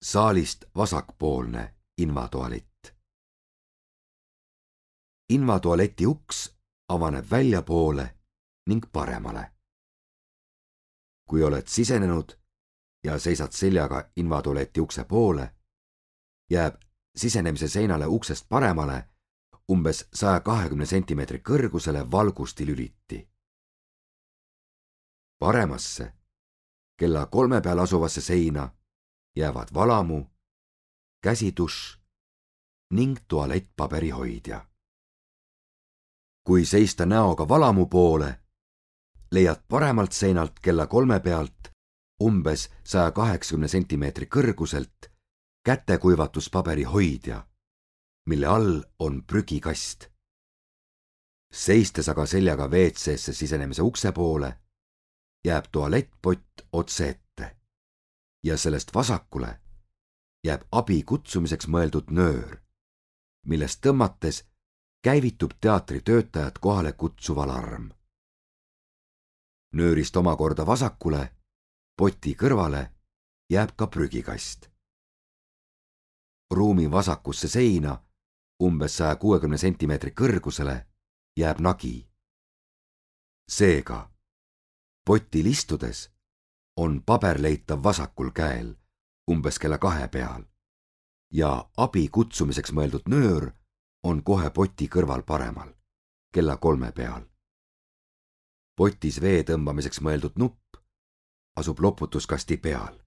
Saalist vasakpoolne invatualett. Invatualeti uks avaneb väljapoole ning paremale. Kui oled sisenenud ja seisad seljaga invatualeti ukse poole, jääb sisenemise seinale uksest paremale umbes 120 cm kõrgusele valgustilüliti. Paremasse, kella 3 peal asuvasse seina jäävad valamu, käsitušš ning tualettpaberihoidja. Kui seista näoga valamu poole, leiad paremalt seinalt kella 3 pealt umbes 180 cm kõrguselt kätekuivatuspaberihoidja, mille all on prügikast. Seistes aga seljaga WC-sse sisenemise ukse poole, jääb tualettpott otse ette ja sellest vasakule jääb abi kutsumiseks mõeldud nöör, millest tõmmates käivitub teatritöötajat kohale kutsuv alarm. Nöörist omakorda vasakule, poti kõrvale, jääb ka prügikast. Ruumi vasakusse seina, umbes 160 cm kõrgusele, jääb nagi. Seega, potil istudes on paber leitav vasakul käel, umbes kella 2 peal, ja abi kutsumiseks mõeldud nöör on kohe poti kõrval paremal, kella 3 peal. Potis vee tõmbamiseks mõeldud nupp asub loputuskasti peal.